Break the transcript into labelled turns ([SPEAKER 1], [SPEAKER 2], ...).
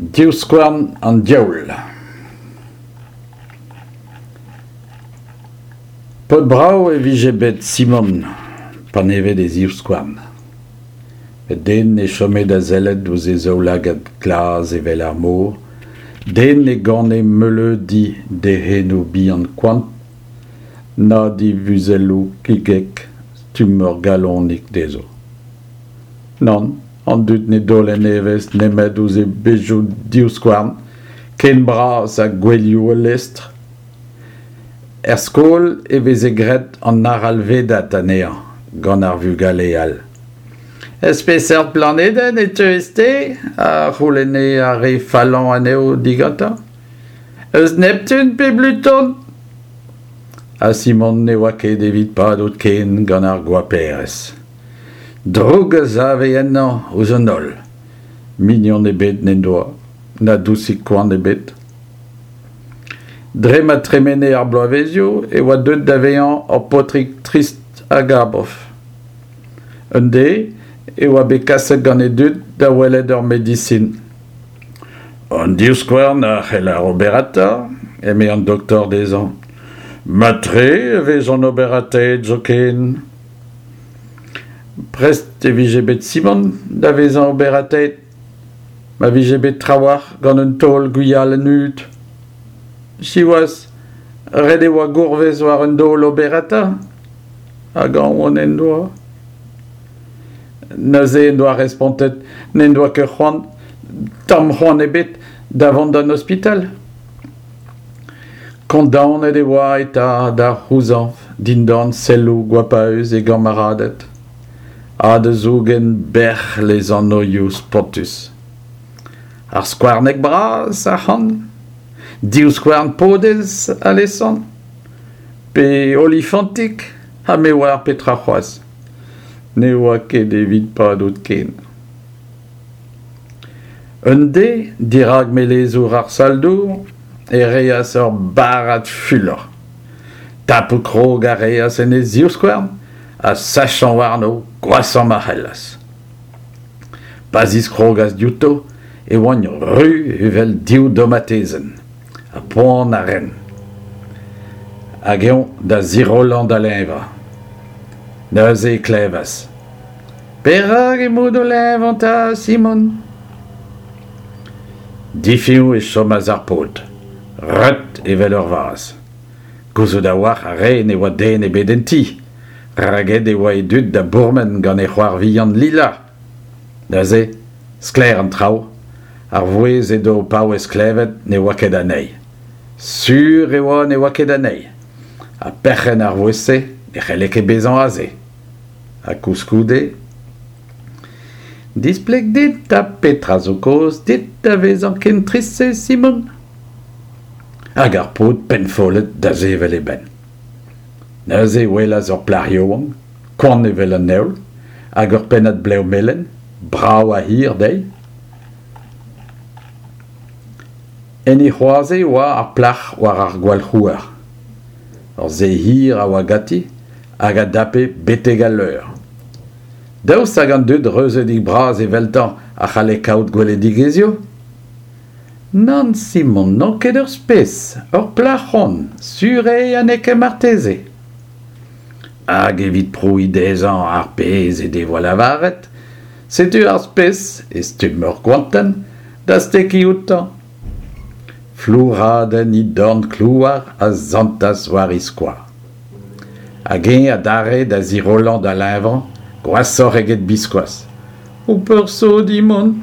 [SPEAKER 1] Divskouarn an diaoul. Paotr brav e vije bet Simon panevet e zivskouarn. Met den ne chome da sellet ouzh e zaoulagad glas evel ar mor, den ne gane meuleudi d'e c'henoù bihan koant, na d'e vuzelloù kigek stumm ur galonig dezho. Nann, an dud ne daolent evezh nemet ouzh e bezhioù divskouarn, ken bras ha gouelioù ul lestr. Er skol e veze graet an arallvedad anezhañ gant ar vugale all. Eus peseurt planedenn e teuez-te ? a c'houlenne ar re fallañ anezho digantañ. Eus Neptun pe Bluton ? Ha Simon ne oa ket evit padout ken gant ar goaperezh. Droug a save ennañ ouzh an holl. Mignon ebet n'en doa, na dousig koant ebet. Dre ma tremene ar bloavezioù e oa deuet da vezañ ur paotrig trist hag abaf. Un deiz e oa bet kaset gant e dud da welet ur medisin. An divskouarn a c'heller oberata, eme an doktor dezhañ. Mat-tre e vezont oberataet zoken. Prest e vije bet Simon da vezañ oberataet ma vije bet trawalc'h gant un taol gwialenn hud. Siwazh, ret e oa gourvez war un daol oberata hag aon en doa. Neuze en doa respontet n'en doa ket c'hoant, tamm c'hoant ebet, da vont d'an ospital. Kondaonet e oa eta da c'houzañv dindan selloù goapaus e gamaraded ha da zougen bec'h lesanvioù spontus. Ar skouarneg bras ac'hann, divskouarn podez alesant, pe olifantig ha me oar petra c'hoazh. Ne oa ket evit padout ken. Un deiz, dirak melezour ar sal-dour, e reas ur barrad fulor. Tapout krog a reas en e zivskouarn ha sachañ warno gwashañ ma c'hellas. Pa ziskrogas diouto e oant ruz evel div domatezenn, ha poan a raent. Hag eñ da zirollañ da leñvañ. Neuze e klevas. Perak emaout o leñvañ 'ta, Simon ? Difiñv e chomas ar paotr, reut evel ur vazh. Gouzout a-walc'h a rae ne oa den ebet en ti, rak aet e oa e dud da bourmen gant e c'hoar vihan Lila. Neuze, sklaer an traoù, ar vouezh edo o paouez klevet ne oa ket anezhi. Sur e oa ne oa ket anezhi. Ha perc'henn ar vouezh-se ne c'helle ket bezañ aze. Ha koulskoude… Displeg dit 'ta petra zo kaoz dit da vezañ ken trist-se, Simon ? Hag ar paotr pennfollet da sevel e benn. Neuze e welas ur plac'h yaouank, koant evel an heol, hag ur pennad blev melen, brav ha hir dezhi. En he c'hoaze e oa ar plac'h war ar gwalc'houer. Ur sae hir a oa ganti hag a dape betek al leur. Daoust hag an dud reuzeudik-bras eveltañ a c'halle kaout gweledigezhioù ? Nann, Simon, n'on ket ur spes, ur plac'h on, sur eo ha n'eo ket marteze. Hag evit prouiñ dezhañ ar pezh he devoa lavaret, setu ar spes, e stumm ur goantenn, da stekiñ outañ. Flouradenn he dorn klouar a santas war he skoaz. Hag eñ adarre da zirollañ da leñvañ, gwashoc'h eget biskoazh. Ho peursodiñ mont.